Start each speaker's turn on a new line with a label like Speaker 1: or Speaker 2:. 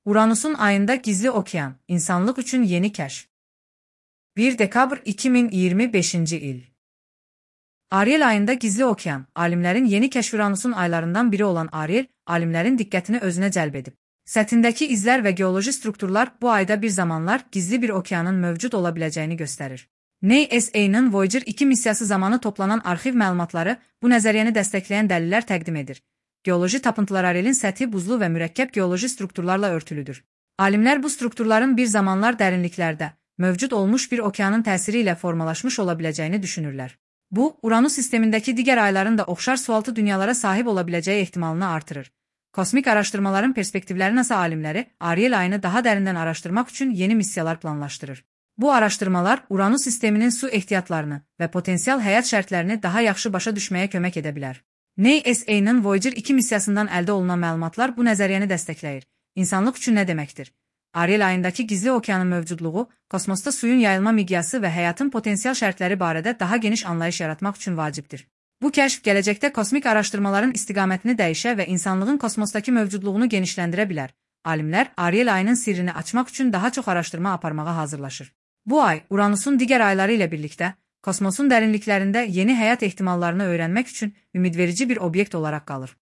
Speaker 1: Uranusun ayında gizli okean, insanlık üçün yeni kəşf. 1 dekabr 2025-ci il. Ariel ayında gizli okean, alimlərin yeni kəşf. Uranusun aylarından biri olan Ariel, alimlərin diqqətini özünə cəlb edib. Səthindəki izlər və geoloji strukturlar bu ayda bir zamanlar gizli bir okeanın mövcud ola biləcəyini göstərir. NASA-nın Voyager 2 missiyası zamanı toplanan arxiv məlumatları bu nəzəriyyəni dəstəkləyən dəlillər təqdim edir. Geoloji tapıntılar Arielin səthi buzlu və mürəkkəb geoloji strukturlarla örtülüdür. Alimlər bu strukturların bir zamanlar dərinliklərdə mövcud olmuş bir okeanın təsiri ilə formalaşmış ola biləcəyini düşünürlər. Bu, Uranüs sistemindəki digər ayların da oxşar sualtı dünyalara sahib ola biləcəyi ehtimalını artırır. Kosmik araşdırmaların perspektivləri NASA alimləri Ariel ayını daha dərindən araşdırmaq üçün yeni missiyalar planlaşdırır. Bu araşdırmalar Uranüs sisteminin su ehtiyatlarını və potensial həyat şərtlərini daha yaxşı başa düşməyə kömək edə bilər. NASA-nın Voyager 2 missiyasından əldə olunan məlumatlar bu nəzəriyyəni dəstəkləyir. İnsanlıq üçün nə deməkdir? Ariel ayındakı gizli okeanın mövcudluğu, kosmosda suyun yayılma miqyası və həyatın potensial şərtləri barədə daha geniş anlayış yaratmaq üçün vacibdir. Bu kəşf gələcəkdə kosmik araşdırmaların istiqamətini dəyişə və insanlığın kosmosdakı mövcudluğunu genişləndirə bilər. Alimlər Ariel ayının sirrini açmaq üçün daha çox araşdırma aparmağa hazırlaşır. Bu ay, Uranusun digər ayları ilə birlikdə, kosmosun dərinliklərində yeni həyat ehtimallarını öyrənmək üçün ümidverici bir obyekt olaraq qalır.